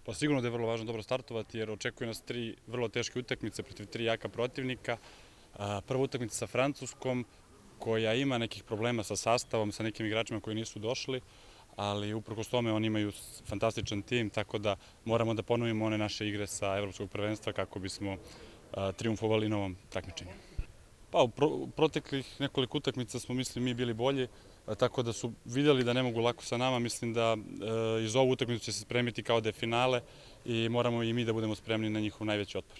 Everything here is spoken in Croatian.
Pa sigurno da je vrlo važno dobro startovati jer očekuje nas 3 vrlo teške utakmice protiv 3 jaka protivnika. Prva utakmica sa Francuskom koja ima nekih problema sa sastavom, sa nekim igračima koji nisu došli, ali uprkos tome oni imaju fantastičan tim, tako da moramo da ponovimo one naše igre sa Evropskog prvenstva kako bismo triumfovali na ovom takmičenju. Pa u proteklih nekoliko utakmica smo, mislim, mi bili bolji, tako da su vidjeli da ne mogu lako sa nama. Mislim da iz ovu utakmicu će se spremiti kao da je finale i moramo i mi da budemo spremni na njihov najveći otpor.